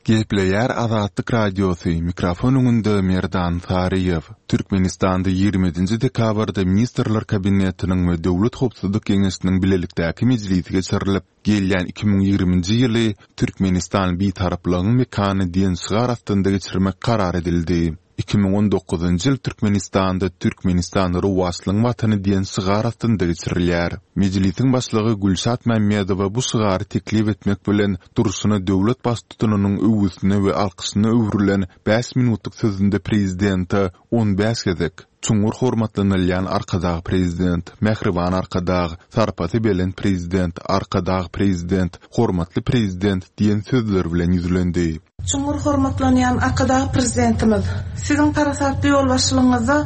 Gepleýär Azatlyk Radiosy, mikrofon öňünde Merdan Saryýew. Türkmenistanda 27-nji dekabrda Ministrler Kabinetiniň we Döwlet howpsuzlyk geňeşiniň bilelikdäki mejlisi geçirilip, gelýän 2020-nji ýyly Türkmenistan Bitaraplygyň mekany diýen şygar astynda geçirmek karar edildi. 2019-njy ýyl Türkmenistanda Türkmenistan rowaçlygyň Watany diýen şygar astynda geçirilýär. Mejlisiň başlygy Gülşat Mämmedowa bu şygary teklip etmek bilen, durşuna döwlet Baştutanynyň öwgüsine we alkyşyna öwrülen bäş minutlyk sözünde prezidente 15 gezek, Çuňňur hormatlanylýan Arkadag Prezident, mähriban Arkadag, sarpasy belent Prezident, Arkadag Prezident, hormatly Prezident diýen sözler bilen ýüzlendi. Çuňňur hormatlanýan Arkadag Prezidentimiz, Siziň parasatly ýolbaşçylygyňyzda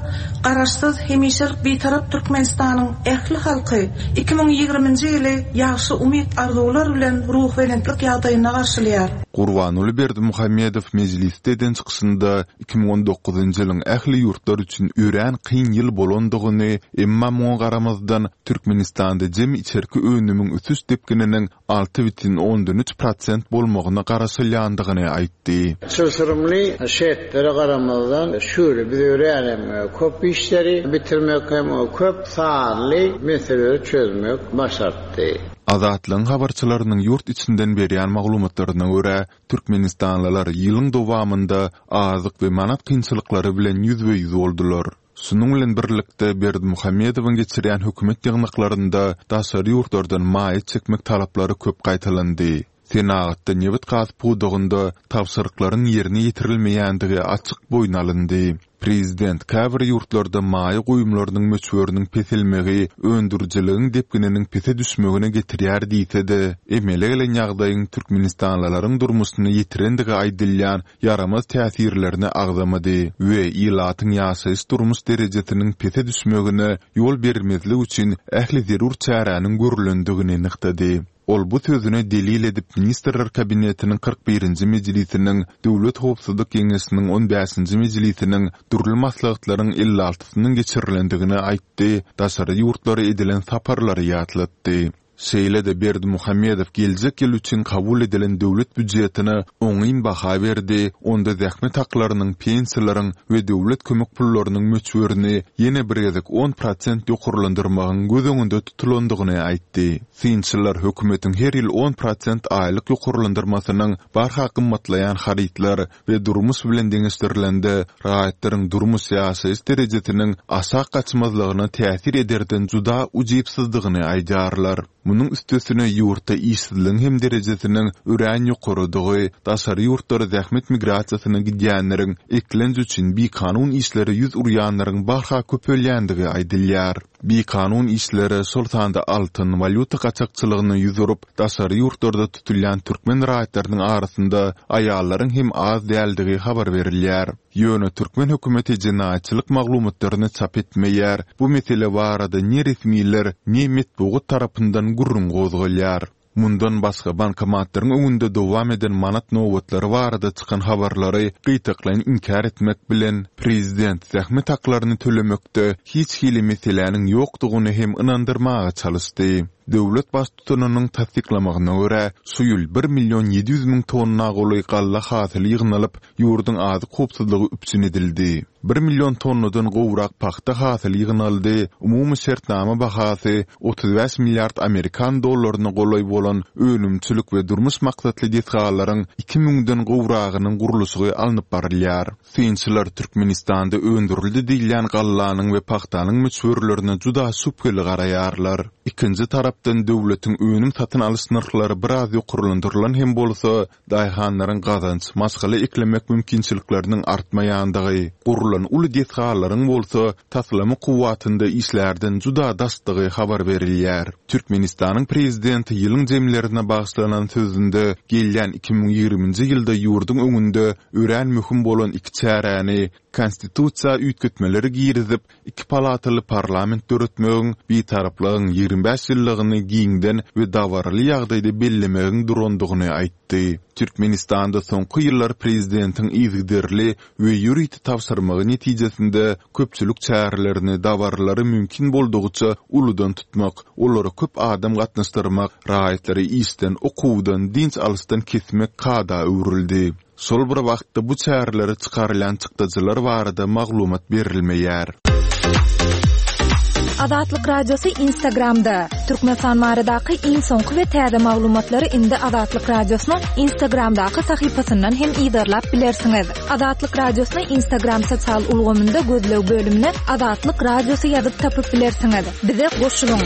Garaşsyz, hemişelik Bitarap Türkmenistanyň ähli halky 2020-nji ýyly ýagşy umyt-arzuwlar bilen ruhubelentlik ýagdaýynda garşylaýar. Gurbanguly Berdimuhamedow mejlisde eden çykyşynda 2019-njy ýylyň ähli ýurtlar üçin örän kyn ýyl bolandygyny, emma muňa garamazdan, Türkmenistanda jemi içerki önümiň ösüş depgininiň 6,3 prosent bolmagyna garaşylýandygyny aýtdy. Çylşyrymly şertlere garamazdan, şu ýyl biz örän hem köp işleri bitirmek hem köp sanly meseleleri çözmek başartdy. Azatlygyň habarçylarynyň ýurt içinden berýän maglumatlaryna görä, türkmenistanlylar ýylyň dowamynda azyk we manat kynçylyklary bilen ýüzbe-ýüz boldular. Şunuň bilen birlikde, Berdimuhamedowyň geçirýän hökümet ýygnaklarynda daşary ýurtlardan maýa çekmek talaplary köp gaýtalandy. Senagatda nebit-gaz pudagynda tabşyryklaryň ýerine ýetirilmeýändigi açyk boýun alyndy. Prezident käbir ýurtlarda maýa goýumlarynyň möçberiniň peselmegi öndürijiligiň depgininiň pese düşmegine getirýär diýse-de, emele gelen ýagdaýyň türkmenistanlylaryň durmuşyna ýetirendigi aýdylýan ýaramaz täsirlerini agzamady we ilatyň ýaşaýyş-durmuş derejesiniň pese düşmegine ýol bermezlik üçin ähli zerur çäräniň görlendigini nygtady. Ol bu sözüne delil edip Ministrler Kabinetiniň 41-nji mejlisiniň, Döwlet howpsuzlyk geňeşiniň on bäşinji mejlisiniň, dürli maslahatlaryň 56-synyň geçirilendigini aýtdy, daşary ýurtlara edilen saparlary ýatlatdy. Şeýle-de Berdimuhamedow geljek ýyl üçin kabul edilen döwlet býujetine oňyn baha berdi, onda zähmet haklarynyň, pensiýalaryň we döwlet kömek pullarynyň möçberini ýene bir gezek 10% ýokarlandyrmagyň göz öňünde tutulandygyny aýtdy. Synçylar hökümetiň her ýyl 10% aýlyk ýokarlandyrmasynyň barha gymmatlaýan harytlar we durmuş bilen deňeşdirilende raýatlaryň durmuş-ýaşaýyş derejesiniň aşak gaçmazlygyna täsir ederden juda ujypsyzdygyny aýdýarlar. Munuň üstesine ýurtda işsizligiň hem derejesiniň örän ýokarydygy, daşary ýurtlara zähmet migrasiýasyna gidýänleriň, eklenç üçin bikanun işlere ýüz urýanlaryň barha köpelýändigi aýdylýar. Bikanun işlere, şol sanda altyn, walýuta gaçakçylygyna ýüz urup, daşary ýurtlarda tutulýan türkmen raýatlarynyň arasynda aýallaryň hem az däldigi habar berilýär. Ýöne türkmen hökümeti jenaýatçylyk maglumatlaryny çap etmeýär, bu mesele barada ne resmiler, ne metbugat tarapyndan gürrüň gozgalýar. Mundan başga, bankomatlaryň öňünde dowam eden manat nobatlary barada çykan habarlary gytaklaýyn inkär etmek bilen, prezident zähmet haklaryny tölemekde hiç hili meseläniň ýokdugyny hem ynandyrmaga çalyşdy. Döwlet Baştutanynyň tassyklamagyna görä, şu ýyl bir million 700 müň tonna golaý galla hasyly ýygnalyp, ýurduň azyk howpsuzlygy üpjün edildi. Bir million tonnadan gowrak pagta hasyly ýygnaldy, umumy şertnama bahasy 35 milliard amerikan dollaryna golaý bolan önümçilik we durmuş maksatly desgalaryň iki müňden gowragynyň gurluşygy alnyp barylýar. Synçylar Türkmenistanda öndürildi diýilýän gallanyň we pagtanyň möçberlerine juda şübheli garaýarlar. Ikinji tarapdan döwletiň önüm satyn alyş nyrhlary biraz ýokarlandyrylan hem bolsa, Daýhanlaryň gazanç, maşgala eklemek mümkinçilikleriniň artmaýandygy, gurlan uly desgalaryň bolsa taslama kuwwatynda işlärden juda daşdygy habar berilýär. Türkmenistanyň Prezidenti ýylyň jemlerine bagyşlanan sözünde gelýän 2020-nji ýylda ýurduň öňünde örän möhüm bolan iki çäräni, Konstitusiýa üýtgetmeleri girizip, iki palataly parlament döretmegiň, Bitaraplygyň 25 ýyllygyny giňden we dabaraly ýagdaýda bellemegiň durandygyny aýtdy. Türkmenistanda soňky ýyllar prezidentiň yzygiderli we ýörite tabşyrmagy netijesinde köpçülik çärelerini, dabaralary mümkin boldugyça uludan tutmak, olara köp adam gatnaşdyrmak, raýatlary işden, okuwdan, dynç alyşdan kesmek kada öwrüldi. Şol bir wagtda bu çärelere çykarylýan çykdajylar barada maglumat berilmeýär. Azatlyk Radiosy Instagramda, Türkmenistan baradaky iň soňky we täze maglumatlary indi Azatlyk Radiosynyň Instagramdaky sahypasyndan hem yzarlap bilersiňiz. Azatlyk Radiosyny Instagram sosial ulgamynda gözleg bölümine Azatlyk Radiosy ýazyp tapyp bilersiňiz. Bize goşulyň!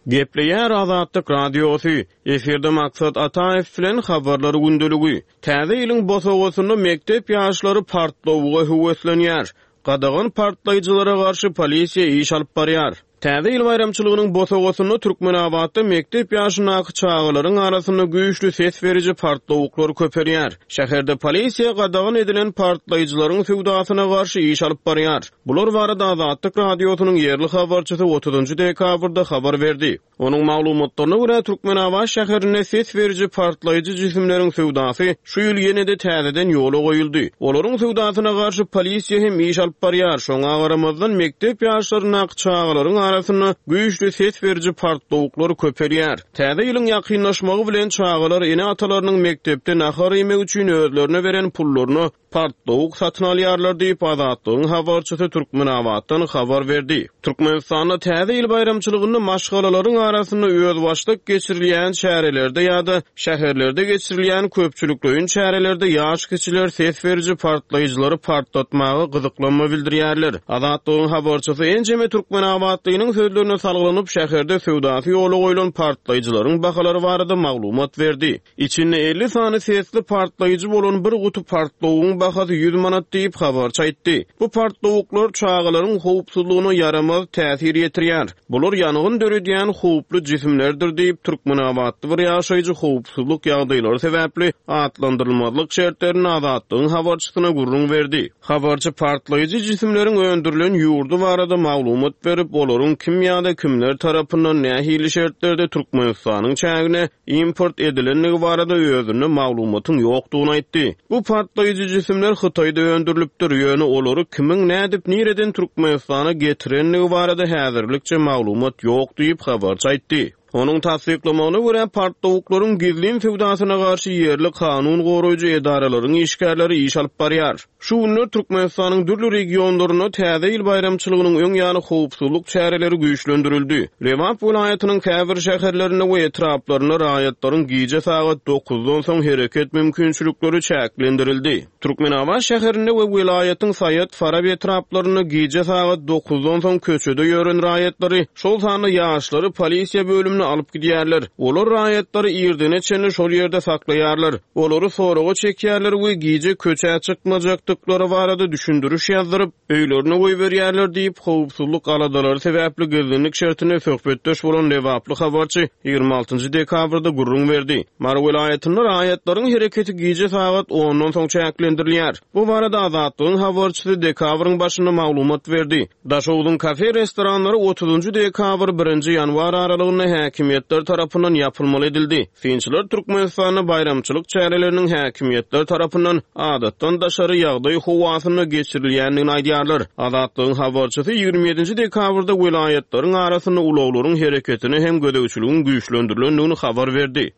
Gepleýär Azatlyk Radiosy, Efirde Maksat Ataýew bilen Habarlar gündeligi. Täze ýylyň bosagasynda mekdep ýaşlary partlawuga höweslenýär. Gadagan partlaýjylara garşy polisiýa iş alyp barýar. Täze ýyl baýramçylygynyň bosagasynda Türkmenabatda mekdep ýaşyndaky çagalaryň arasynda güýçli ses beriji partlawuklar köpelýär. Şäherde polisiýa gadagan edilen partlaýjylaryň söwdasyna garşy iş alyp barýar. Bular barada Azatlyk Radiosynyň ýerli habarçysy otuzynjy dekabrda habar berdi. Onuň maglumatlaryna görä, Türkmenabat şäherinde ses beriji partlaýjy jisimleriň söwdasy şu ýyl ýene-de täzeden ýola goýuldy. Olaryň söwdasyna garşy polisiýa hem iş alyp barýar, şoňa garamazdan, mekdep ýaşlaryndaky çagalaryň arasynda güýçli ses beriji partlawuklar köpelýär. Täze ýylyň ýakynlaşmagy bilen çagalar ene-atalarynyň mekdepde nahar iýmek üçin özlerine beren pullaryna partlawuk satyn alýarlar diýip, Azatlygyň habarçysy Türkmenabatdan habar berdi. Türkmenistanda Täze ýyl baýramçylygynda maşgalalaryň arasynda özbaşdak geçirilýän çärelerde ýa-da şäherlerde geçirilýän köpçülikleýin çärelerde ýaş kiçiler ses beriji partlaýjylary partlatmaga gyzyklanma bildirýärler. Azatlygyň habarçysy ençeme türkmenabatlynyň sözlerine salgylanyp, şäherde söwdasy ýola goýlan partlaýjylaryň bahalary barada maglumat berdi. Içinde 50 sany sesli partlaýjy bolan bir guty partlawugyň bahasy 100 manat diýip, habarçy aýtdy. Bu partlawuklar çagalaryň howpsuzlygyna ýaramaz täsir ýetirýär. Bular ýangyn döredýän howply jisimlerdir diýip, türkmenabatly bir ýaşaýjy howpsuzlyk ýagdaýlary sebäpli atlandyrylmazlyk şertlerinde Azatlygyň habarçysyna gürrüň berdi. Habarçy partlaýjy jisimleriň öndürilen ýurdy barada maglumat berip, olaryň kim ýa-da kimler tarapyndan nähili şertlerde Türkmenistanyň çägine import edilendigi barada özünde maglumatyň ýokdugyny aýtdy. Bu partlaýjy jisimler Hytaýda öndürilipdir, ýöne olary kimiň nädip nireden Türkmenistana getirendigi barada häzirlikçe maglumat ýok diýip, habarçy aýtdy. Onuň tassyklamagyna görä, partlawuklaryň gizlin söwdasyna garşy ýerli kanun goraýjy edaralaryň işgärleri iş alyp barýar. Şu günler Türkmenistanyň dürli regionlarynda Täze ýyl baýramçylygynyň öň ýany howpsuzlyk çäreleri güýçlendirildi. Lebap welaýatynyň käbir şäherlerinde we etraplarynda raýatlaryň gije sagat dokuzdan soň hereket mümkinçilikleri çäklendirildi. Türkmenabat şäherinde we welaýatyň Saýat, Farap etraplarynda gije sagat dokuzdan soň köçede ýören raýatlary, şol sanda ýaşlary polisiýa bölümine alyp gidýärler. Olar raýatlary irdene çenli şol ýerde saklaýarlar. Olary soraga çekýärler we gije köçä çykmajakdyklary barada düşündiriş ýazdyryp, öýlerine goýberýärler diýip, howpsuzlyk aladalary sebäpli gizlinlik şertinde söhbetdeş bolan lebaply habarçy 26 dekabrda gürrüň berdi. Mary welaýatynda raýatlaryň hereketi gije sagat ondan soň çäklendirilýär. Bu barada Azatlygyň habarçysy dekabryň başynda maglumat berdi. Daşogzuň kafe-restoranlary otuzynjy dekabr, birinji ýanwar aralygynda häkimiýetler tarapyndan ýapylmaly edildi. Synçylar Türkmenistanda baýramçylyk çäreleriniň häkimiýetler tarapyndan adatdan daşary ýagdaý howasynda geçirilýändigini aýdýarlar. Azatlygyň habarçysy 27-nji dekabrda welaýatlaryň arasynda ulaglaryň hereketine hem gözegçiligiň güýçlendirilendigini habar berdi.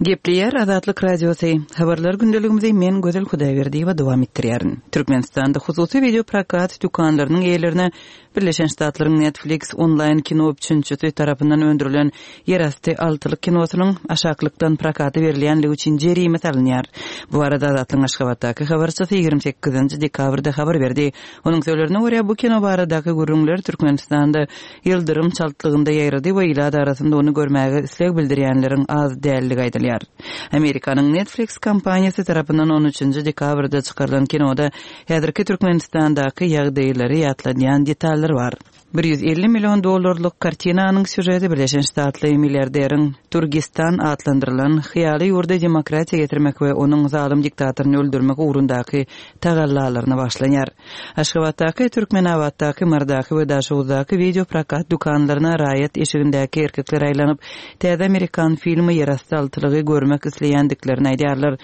Gepleýär Azatlyk Radiosy. Habarlar gündeligimizi men Gözel Hudaýberdiýewa dowam etdirýärin. Türkmenistanda hususy wideoprokat dükanlarynyň eýelerine Birleşen Ştatlaryň Netflix onlaýn kino üpjünçisi tarapyndan öndürilen Ýerasty altylyk kinosynyň aşaklykdan prokata berilýänligi üçin jerime salynýar. Bu barada Azatlygyň Aşgabatdaky habarçysy 28 dekabrda habar berdi. Onuň sözlerine görä, bu kino baradaky gürrüňler Türkmenistanda ýyldyrym çaltlygynda ýaýrady we ilat arasynda ony görmäge isleg bildirýänleriň az däldigi aýdylýar. Amerikanyň Netflix kompaniýasy tarapyndan on üçünji dekabrda çykarylan kinoda häzirki Türkmenistandaky ýagdaýlary ýatladýan detallar bar. 150 million dollarlyk kartinanyň sýužeti Birleşen Ştatly milliarderiň Turgistan atlandyrylan hyýaly ýurda demokratiýa getirmek we onuň zalym diktatoryny öldürmek ugrundaky tagallalaryna bagyşlanýar. Aşgabatdaky, Türkmenabatdaky, Marydaky we Daşoguzdaky wideo prokat dükanlaryna raýat eşigindäki erkekler aýlanyp, täze amerikan filmi Ýerasty altylygy görmek isleýändiklerini aýdýarlar.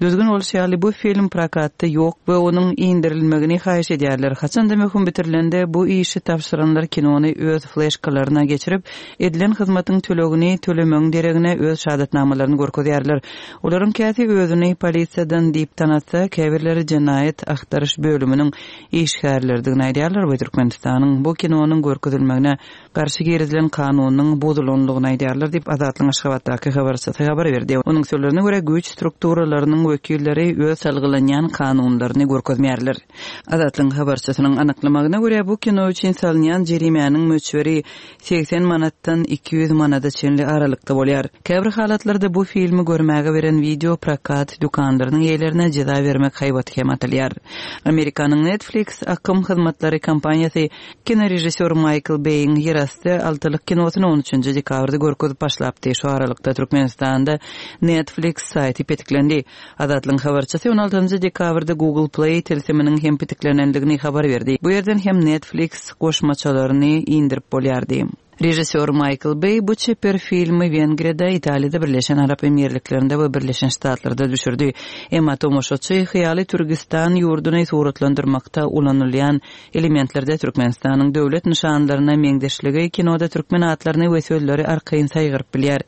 Düzgün bolşy ýaly, bu film prokatda ýok we onuň indirilmegini haýyş edýärler. Haçanda möhüm bitirilende, bu işi tabşyranlar. adamlar kinony öz fleşkalaryna geçirip, edilen hyzmatyň tölegini tölemegiň deregine öz şahadatnamalaryny görkezýärler. Olaryň käsi özüni polisiýadan diýip tanatsa, käbirleri jenaýat agtaryş bölüminiň işgärleridigini aýdýarlar we Türkmenistanyň bu kinonyň görkezilmegine garşy girizilen kanunyň bozulanlygyny aýdýarlar diýip, Azatlygyň Aşgabatdaky habarçysy habar berdi. Onuň sözlerine görä, güýç strukturalarynyň wekilleri öz salgylanýan kanunlaryny görkezmeýärler. Azatlygyň habarçysynyň anyklamagyna görä, bu kino üçin salynýan jerimäniň möçberi 80 manatdan 200 manada çenli aralykda bolýar. Käbir halatlarda bu filmi görmäge beren wideo prokat dükanlarynyň eýelerine jeza bermek haýbaty hem atylýar. Amerikanyň Netflix akym hyzmatlary kompaniýasy Kinorežissýor Maýkl Beýiň Ýerasty altylyk kinosyny on üçünji dekabrda görkezip başlapdy. Şu aralykda Türkmenistanda Netflix saýty petiklendi. Azatlygyň habarçysy on altynjy dekabrda Google Play tilsiminiň hem petiklenendigini habar berdi. Bu ýerden hem Netflix goşmaçalaryny indirip bolýardy. Režissýor Maýkl Beý bu çeper filmi Wengriýada, Italiýada, Birleşen Arap Emirliklerinde we Birleşen Ştatlarda düşürdi. Emma tomaşaçy hyýaly Türgistan ýurduny suratlandyrmakda ulanylýan Elementlerde Türkmenistanyň döwlet nyşanlaryna meňzeşligi kinoda türkmen atlaryny we sözleri arkaýyn saýgaryp bilýär.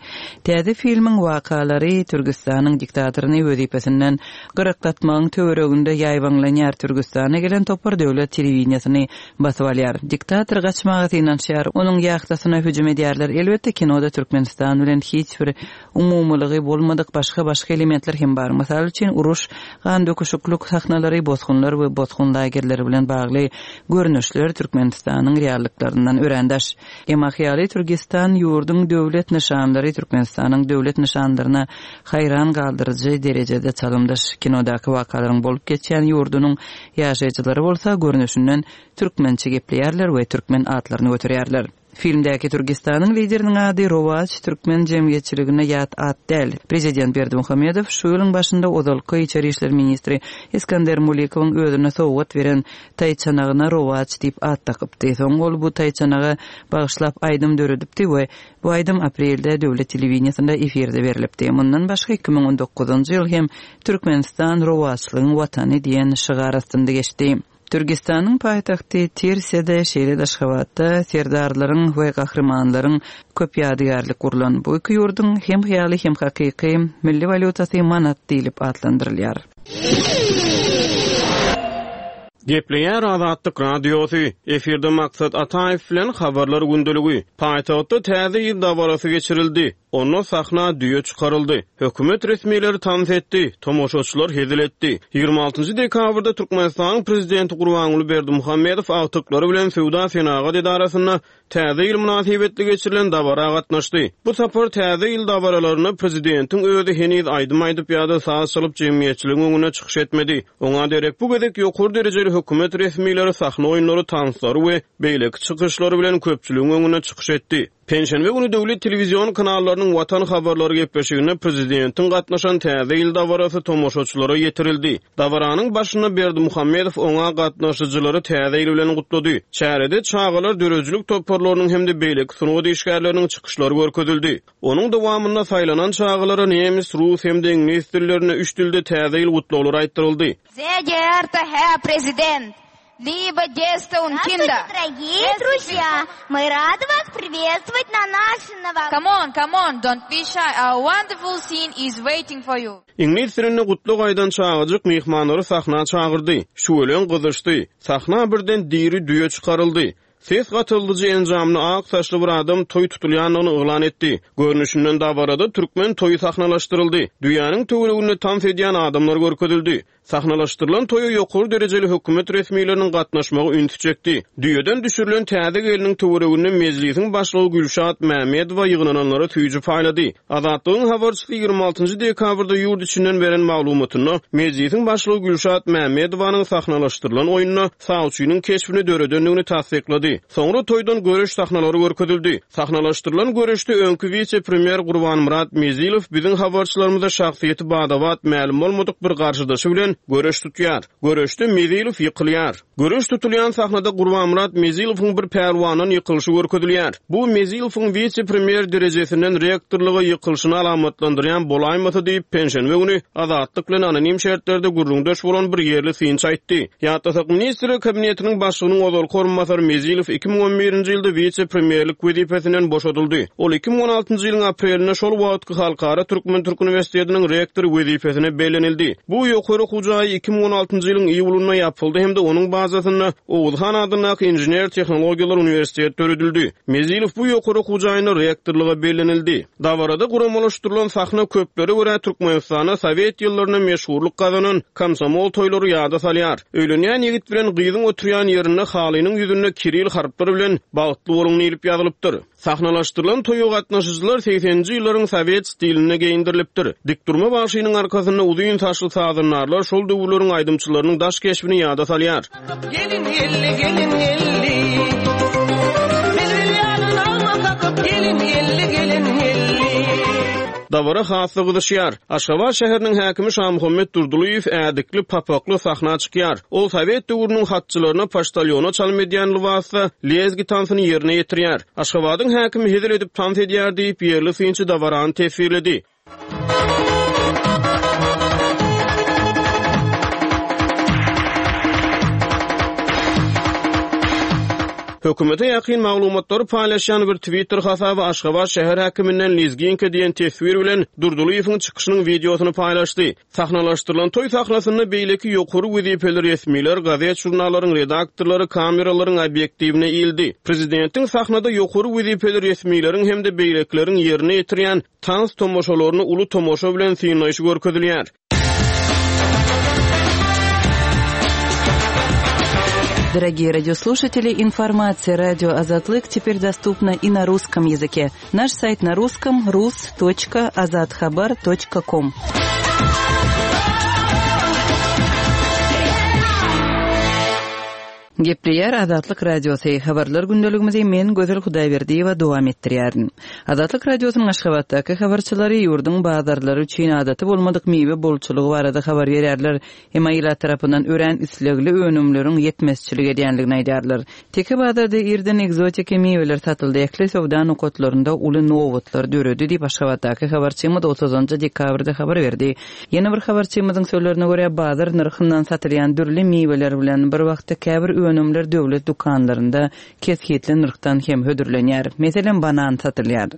Täze filmiň wakalary Türgistanyň diktatoryny wezipesinden gyraklatmagyň töwereginde ýaýbaňlanýar, Türgistana gelen topar döwlet telewideniýesini basyp alýar. Diktator gaçmaga synanyşýar, onuň ýahtasyna hüjüm edýärler. Elbetde, kinoda Türkmenistan bilen hiç bir Umumylygy bolmadyk başga-başga elementler hem bar. Mysal üçin, uruş, gandöküşiklik sahnalary, bosgunlar we bosgun lagerleri bilen bagly görnüşler Türkmenistanyň reallyklaryndan örän daş. Emma hyýaly Türgistan ýurduň döwlet nyşanlary Türkmenistanyň döwlet nyşanlaryna haýran galdyryjy derejede çalymdaş. Kinodaky wakalaryň bolup geçýän ýurdunyň ýaşaýjylary bolsa görnüşinden türkmençe gepleýärler we türkmen atlaryny göterýärler. Filmdäki Türgistanyň lideriniň ady Rowaç türkmen jemgyýetçiligine ýat at däl. Prezident Berdimuhamedow şu ýylyň başynda ozalky içeri işler ministri Iskander Mulikowyň özüne sowgat beren taýçanagyna Rowaç diýip at dakypdy. Soň ol bu taýçanaga bagyşlap aýdym döredipdi we bu aýdym aprelde döwlet telewideniýesinde efirde berlipdi. Mundan başga 2019-njy ýyl hem Türkmenistan rowaçlygyň watany diýen şygar astynda geçdi. Türgistanyň paýtagty Tirsede, şeýle-de Aşgabatda serdarlaryň we gahrymanlaryň köp ýadygärlik gurlan. Bu iki ýurduň hem hyýaly, hem hakyky milli walýutasy manat diýlip atlandyrylýar. Gepleýär Azatlyk Radiosy, Efirde Maksat Ataýew bilen Habarlar gündeligi. Paýtagtda Täze ýyl dabarasy geçirildi. Onda sahna düýe çykaryldy. Hökümet resmileri tans etdi, tomaşaçylar hezil etdi. Ýigrimi altynjy dekabrda Türkmenistanyň Prezidenti Gurbanguly Berdimuhamedow agtyklary bilen Söwda-senagat edarasynda Täze ýyl mynasybetli geçirilen dabara gatnaşdy. Bu sapar Täze ýyl dabaralarynda prezidentiň özi heniz aýdym aýdyp ýa-da saz çalyp jemgyýetçiligiň öňünde çykyş etmedi. Oňa derek bu gezek ýokary derejeli hökümet resmileri sahna oýunlary, tanslary we beýleki çykyşlary bilen köpçüligiň öňünde çykyş etdi. Penşenbe güni döwlet telewizion kanallarynyň Watan habarlary gepleşiginde prezidentiň gatnaşan Täze ýyl dabarasy tomaşaçylara ýetirildi. Dabaranyň başynda Berdimuhamedow oňa gatnaşyjylary Täze ýyl bilen gutlady. Çärede çagalar döredijilik toparlarynyň hem-de beýleki sungat işgärleriniň çykyşlary görkezildi. Onuň dowamynda saýlanan çagalara nemes, rus hem-de iňlis dillerinde üç dilde Täze ýyl gutlaglary aýtdyryldy. Sehr geehrter Herr Präsident, Liebe Gäste und Kinder! Здравствуйте, дорогие друзья! Мы рады вас приветствовать на нашей новогодней... Come on, come on, don't be shy, our wonderful scene is waiting for you! Iňlis dilinde gutlag aýdan çagajyk myhmanlary sahna çagyrdy. Şüweleň gyzyşdy. Sahna birden diri düýe çykaryldy. Ses gatyldyjy enjamly ak saçly bir adam toý tutulýandygyny yglan etdi. Görnüşinden dabarada türkmen toýy sahnalaşdyryldy. Düýäniň töwereginde tans edýän adamlar görkezildi. Sahnalaşdyrylan toýa ýokary derejeli hökümet resmileriniň gatnaşmagy ünsi çekdi. Düýeden düşürilen täze gelniň töwereginde Mejlisiň başlygy Gülşat Mämmedowa ýygnananlara süýji paýlady. Azatlygyň habarçysy 26 njy dekabrda ýurt içinden beren maglumatynda, Mejlisiň başlygy Gülşat Mämmedowanyň sahnalaşdyrylan oýunda sawçynyň keşbini döredendigini tassyklady. Soňra toýdan göreş sahnalary görkezildi. Sahnalaşdyrylan göreşde öňki wise-premýer Gurbanmyrat Mezilow biziň habarçylarymyza şahsyýeti bada-bat mälim bolmadyk bir garşydaşy bilen. Göreş tutýar. Göreşde Mezilow ýykylýar. Göreş tutulýan sahnada Gurbanmyrat Mezilowyň bir pälwandan ýykylyşy görkezilýär. Bu Mezilowyň wise-premýer derejesinden rektorlyga ýykylyşyny alamatlandyrýan bolaýmasa diýip, penşenbe güni Azatlyk bilen anonim şertlerde gürrüňdeş bolan bir ýerli synçy aýtdy. Ýatlasak, Ministrler Kabinetiniň başlygynyň ozalky orunbasary Mezilow 2011-nji ýylda wise-premýerlik wezipesinden boşadyldy. Ol 2016-njy ýylyň aprelinde şol wagtky Halkara türkmen-türk uniwersitetiniň rektory wezipesine bellenildi. Bu ýokary okuw jaýy 2016-njy ýylyň iýulynda ýapyldy hem-de onuň bazasynda Oguz han adyndaky Inžener-tehnologiýalar uniwersiteti döredildi. Mezilow bu ýokary okuw jaýynda rektorlyga bellenildi. Dabarada guramalaşdyrylan sahna köplere görä Türkmenistanda sowet ýyllarynda meşhurlyk gazanan komsomol toýlary ýada salýar. Öýlenýän ýigit bilen gyzyň oturýan ýerinde halynyň ýüzünde kiril harplar bilen Bagtly boluň diýlip ýazylypdyr. Sahnalaşdyrylan toýa gatnaşyjylar segseninji ýyllaryň sowet stilinde geýindirilipdir. Dikdurma bagşynyň arkasynda uzyn saçly sazandarlar şol döwürleriň aýdymçylarynyň daş keşbini ýada salýar. Gelin geldi, gelin geldi. Bilbil ýaly nagma kakyp, gelin geldi, gelin geldi. Dabara has-da gyzyşýar. Aşgabat şäheriniň häkimi Şamuhammet Durdylyýew ädikli, papakly sahna çykýar. Ol sowet döwrüniň hatçylaryna poçtalýona çalym edýän lybasda lezgi tansyny ýerine ýetirýär. Aşgabadyň häkimi hezil edip tans edýär diýip, ýerli synçy dabarany teswirledi. Hökümete ýakyn maglumatlary paýlaşýan bir Twitter hasaby Aşgabat şäher häkiminden lezginka diýen teswir bilen Durdylyýewiň çykyşynyň wideosyny paýlaşdy. Sahnalaşdyrylan toý sahnasynda beýleki ýokary wezipeli resmiler, gazet-žurnallaryň redaktorlary kameralaryň obýektiwine ildi. Prezidentiň sahnada ýokary wezipeli resmileriň hem-de beýlekileriň ýerine ýetirýän tans tomaşalaryny uly tomaşa bilen synlaýşy görkezilýär. Дорогие радиослушатели, информация радио Азатлык теперь доступна и на русском языке. Наш сайт на русском rus.azathabar.com. Gepleýär Azatlyk Radiosy, Habarlar gündeligimizi men Gözel Hudaýberdiýewa dowam etdirýärin. Azatlyk Radiosynyň Aşgabatdaky habarçylary ýurduň bazarlary üçin adaty bolmadyk miwe bolçulygy barada habar berýärler. Emma ilat tarapyndan örän islegli önümleriň ýetmezçilik edýändigini aýdýarlar. Teke bazarda irden ekzotiki miweler satyldy, ähli söwda nokatlarynda uly nobatlar döredi diýip, Aşgabatdaky habarçymyz otuzynjy dekabrda habar berdi. Ýene bir habarçymyzyň sözlerine görä, bazar nyrhyndan satylýan dürli miweler bilen bir wagtda käbir önümler döwlet dükanlarynda kesgitli nyrhdan hem hödürlenýär. Meselem, banan satylýar.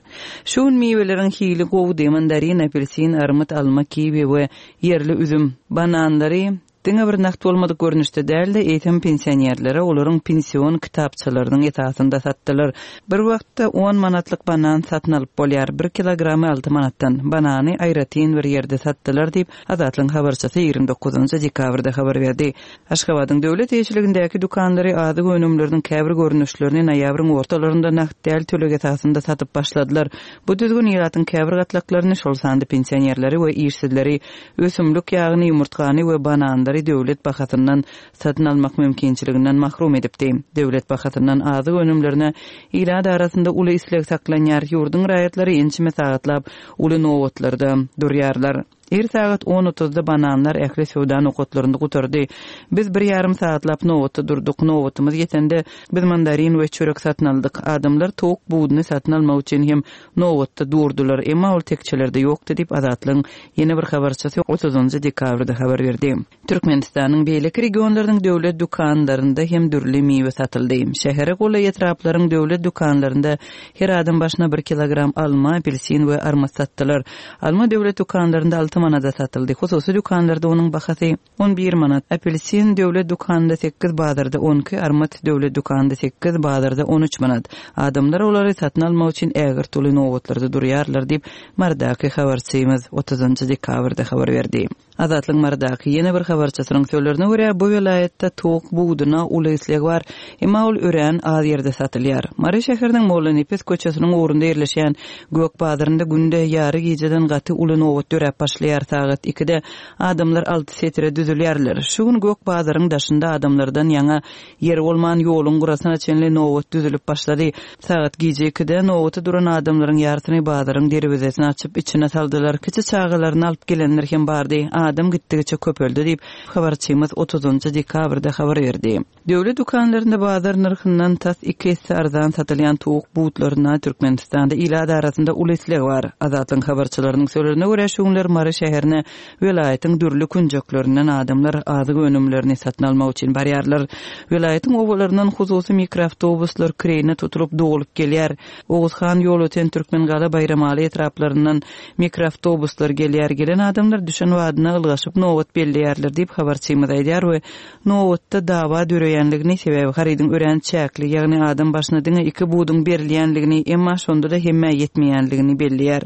Şu gün miweleriň hili gowudy, mandarin, apelsin, armyt, alma, kiwi we Ýerli üzüm, bananlary diňe bir nagt bolmadyk görnüşde däl-de, eýsem pensionerlere olaryň pension kitapçalarynyň esasynda satdylar. Bir wagtda on manatlyk banan satyn alyp bolýar, bir kilogramy alty manatdan. Banany aýratyn bir ýerde satdylar diýip, Azatlygyň habarçysy 29 dekabrda habar berdi. Aşgabadyň döwlet eýeçiligindäki dükanlary azyk önümleriniň käbir görnüşlerini noýabryň ortalarynda nagt däl töleg esasynda satyp başladylar. Bu düzgün ilatyň käbir gatlaklaryny, şol sanda pensionerleri we işsizleri ösümlik ýagyny, ýumurtgany we bananlary döwlet bahasyndan satyn almak mümkinçiliginden mahrum edipdi. Döwlet bahasyndan azyk önümlerine ilat arasynda uly isleg saklanýar, ýurduň raýatlary ençeme sagatlap uly nobatlarda durýarlar. Ir sagat on otuzda bananlar ähli söwda nokatlarynda gutardy. Biz bir ýarym sagatlap nobatda durduk. Nobatymyz ýetende, biz mandarin we çörek satyn aldyk. Adamlar towuk buduny satyn almak üçin hem nobatda durdular, emma ol tekjelerde ýokdy diýip, Azatlygyň ýene bir habarçysy otuzynjy dekabrda habar berdi. Türkmenistanyň beýleki regionlarynyň döwlet dükanlarynda hem dürli miwe satyldy. Şähere golaý etraplaryň döwlet dükanlarynda her adam başyna bir kilogram alma, apelsin we armyt satdylar. Alma döwlet dükanlarynda alty manada satyldy. Hususy dükanlarda onuň bahasy 11 manat. Apelsin döwlet dükanynda sekiz, bazarda on iki, armyt döwlet dükanynda sekiz, bazarda on üç manat. Adamlar olary satyn almak üçin ägirt uly nobatlarda durýarlar diýip, Marydaky habarçymyz otuzynjy dekabrda habar berdi. Azatlygyň Marydaky ýene bir habarçysynyň sözlerine görä, bu welaýatda towuk buduna uly isleg bar, emma ol örän az ýerde satylýar. Mary şäheriniň Mollanepes köçesiniň ugrunda ýerleşýän gök bazarynda günde ýary gijeden gaty uly nobat döräp başlaýar, sagat ikide adamlar alty setire düzülýärler. Şu gün gök bazaryň daşynda adamlardan ýaňa Ýer bolman ýoluň gyrasyna çenli nobat düzülip başlady. Sagat gije ikide nobata duran adamlaryň ýarysyny bazaryň derwezesini açyp içine saldylar. Kiçi çagalaryny alyp gelenler hem bardy. adam gitdigiçe köpeldi diýip, habarçymyz otuzynjy dekabrda habar berdi. Döwlet dükanlarynda bazar nyrhyndan tas iki esse arzan satylýan towuk butlaryna Türkmenistanda ilat arasynda uly isleg bar. Azatlygyň habarçylarynyň sözlerine görä, şu günler Mary şäherine welaýatyň dürli künjeklerinden adamlar azyk önümlerini satyn almak üçin barýarlar. Welaýatyň obalaryndan hususy mikroawtobuslar kireýine tutulyp dolup gelýär. Oguzhan, Ýolöten, Türkmengala, Baýramaly etraplaryndan mikroawtobuslar gelýär. Gelen adamlar düşen badyna ylgaşyp nobat belleýärler diýip, habarçymyz aýdýar we Nobatda dawa döreýänligini, sebäbi harydyň örän çäkli, ýagny adam başyna diňe iki buduň berilýänligini, emma şonda-da hemmä ýetmeýänligini belleýär.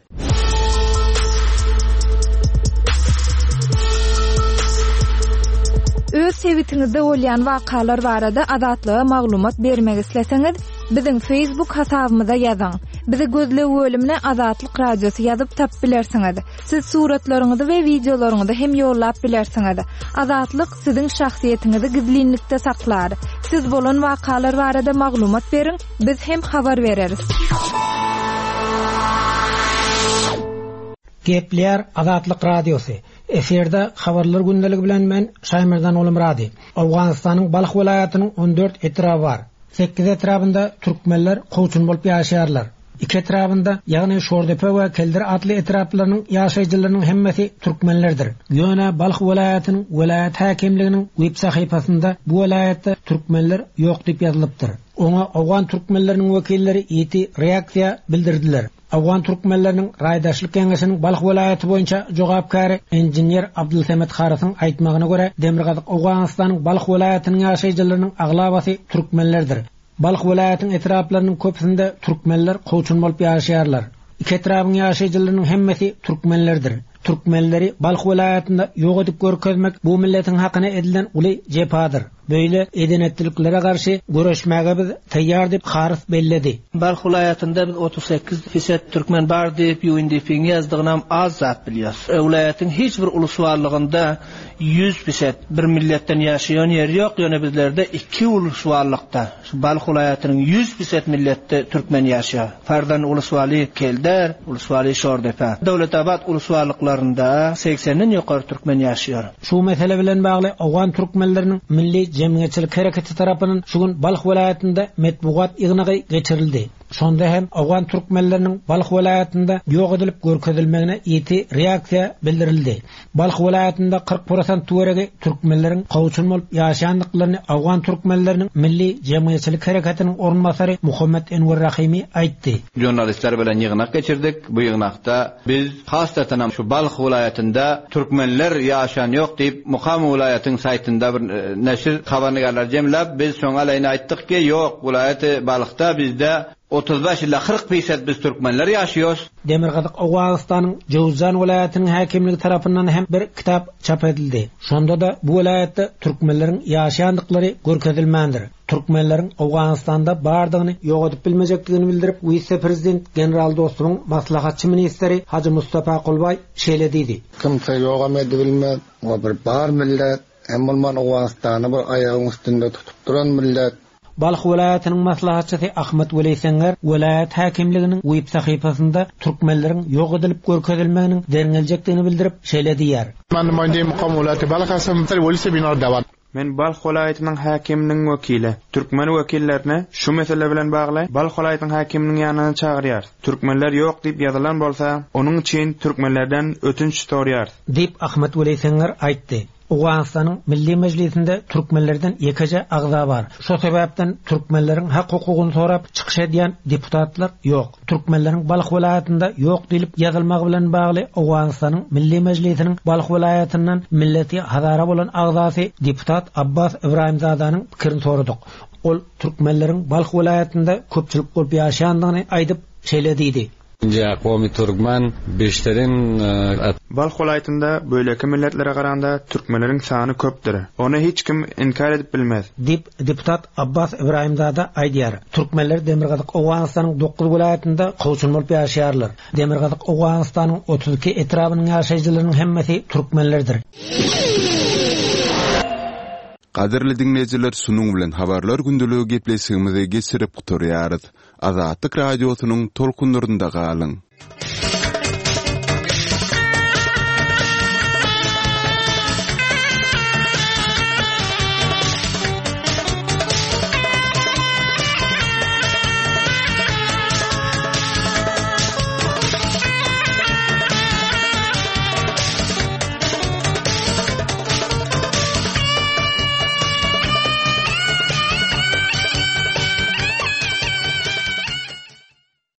Öz sebitiňizde bolýan wakalar barada Azatlyga maglumat bermek isleseňiz, biziň Facebook hasabymyza ýazyň. Bizi gözleg bölümine Azatlyk Radiosy ýazyp tapyp bilersiňiz. Siz suratlaryňyzy we wideolaryňyzy hem ýollap bilersiňiz. Azatlyk siziň şahsyýetiňizi gizlinlikde saklar. Siz bolan wakalar barada maglumat beriň, biz hem habar bereris. Gepleýär Azatlyk Radiosy. Efirde Habarlar gündeligi bilen men Şaýmerdan Gulumyrady. Owganystanyň Balh welaýatynyň 14 etraby bar. Sekiz etrabynda türkmenler kowçum bolup ýaşaýarlar. Iki etrabynda, ýagny Şordepe we Keldir atly etraplarynyň ýaşaýjylarynyň hemmesi türkmenlerdir. Ýöne Balh welaýatynyň welaýat häkimliginiň web sahypasynda bu welaýatda türkmenler ýok diýip ýazylypdyr. Oňa owgan türkmenleriniň wekilleri ýiti reaksiýa bildirdiler. Owgan türkmenleriniň Raýdaşlyk geňeşiniň Balh welaýaty boýunça jogapkäri inžener Abdulsemet Harysyň aýtmagyna görä, Demirgazyk Owganystanyň Balh welaýatynyň ýaşaýjylarynyň aglabasy türkmenlerdir. Balh welaýatyň etraplarynyň köpüsinde türkmenler kowçum bolup ýaşaýarlar. Iki etrabyň ýaşaýjylarynyň hemmesi türkmenlerdir. Türkmenleri Balh welaýatynda ýok edip görkezmek bu milletiň hakyna edilen uly jepadyr. Beýle eden-etdiliklere garşy göreşmäge biz taýýar diýip, Harys belledi. Balh welaýatynda biz 38 fiset türkmen bar diýip UNDP-iň ýazdygynam az zat bilýäs. Welaýatyň hiç bir uluswallygynda 100 fiset bir milletden ýaşaýan ýeri ýok, ýöne bizlerde iki uluswallykda, şu Balh welaýatynyň 100 fiset milletde türkmen ýaşaýar. Farzan uluswaly Kelder, uluswaly Şordepe. Döwletabat uluswallyklarynda segsenden ýokary türkmen ýaşaýar. Şu mesele bilen bagly owgan türkmenleriniň milli jemgyýetçilik hereketi tarapyndan şu gün Balh welaýatynda metbugat ýygnagy geçirildi. Şonda hem owgan türkmenleriniň Balh welaýatynda ýok edilip görkezilmegine ýiti reaksiýa bildirildi. Balh welaýatynda 40 prosent töweregi türkmenleriň kowçum bolup ýaşaýandyklaryny owgan türkmenleriniň milli jemgyýetçilik hereketiniň orunbasary Muhammet Enwer Rahymy aýtdy. Žurnalistler bilen ýygnak geçirdik. Bu ýygnakda biz hassatanam şu Balh welaýatynda türkmenler ýaşan ýok diýip Mukam welaýatyň saýtynda bir neşir habarnigärleri jemläp biz şoň aleýine aýtdyk ki ýok welaýaty Balhda bizde 35 ila 40 pisat biz türkmenler ýaşaýos. Demirgazyk Owganystanyň Jöwüzjan welaýatynyň häkimligi tarapyndan hem bir kitap çap edildi. Şonda-da bu welaýatda türkmenleriň ýaşaýandyklary görkezilmändir. Türkmenleriň Owganystanda bardygyny ýok edip bilmejekdigini bildirip, wise-prezident general Dostumyň maslahatçy ministri Hajy Mustapa Kulbaý şeýle diýdi. Kimse ýogam edibilmez. O bir bar millet. Hem bolman Owganystany bir aýagyň üstünde tutup duran millet. Balh welaýatynyň maslahatçysy Ahmet Weli Senger welaýat häkimliginiň web sahypasynda türkmenleriň ýok edilip görkezilmeginiň derňeljekdigini bildirip, şeýle diýýär. Men Balh welaýatynyň häkiminiň wekili. Türkmen wekillerini şu mesele bilen bagly Balh welaýatynyň häkiminiň ýanyna çagyrýarys. Türkmenler ýok diýip ýazylan bolsa, onuň üçin türkmenlerden ötünç soraýarys. Diýip, Ahmet Weli Senger aýtdy. Owganystanyň Milli Mejlisinde türkmenlerden ýekeje agza bar. Şo sebäpden türkmenleriň hak-hukugyny sorap çykyş edýän deputatlar ýok. Türkmenleriň Balh welaýatynda ýok diýlip ýazylmagy bilen bagly Owganystanyň Milli Mejlisiniň Balh welaýatyndan milleti hazara bolan agzasy deputat Abbas Ybraýymzadanyň pikirini soradyk. Ol türkmenleriň Balh welaýatynda köpçülik bolup ýaşaýandygyny aýdyp, şeýle diýdi. Nji Komi Turkmen beşterin. Balh welaýatynda beýleki milletlere garanda türkmenleriň sany köpdür. Ony hiç kim inkär edip bilmez. Diýip, deputat Abbas Ybraýymzada aýdýar. Türkmenler Demirgazyk Owganystanyň dokuz welaýatynda kowçum bolup ýaşaýarlar. Demirgazyk Owganystanyň 32 etrabynyň ýaşaýjylarynyň hemmesi türkmenlerdir. Gadyrly diňleýjiler şunuň bilen Habarlar gündeligi gepleşigimizi geçirip gutarýarys. Azatlyk Radiosynyň tolkunlarynda galyň!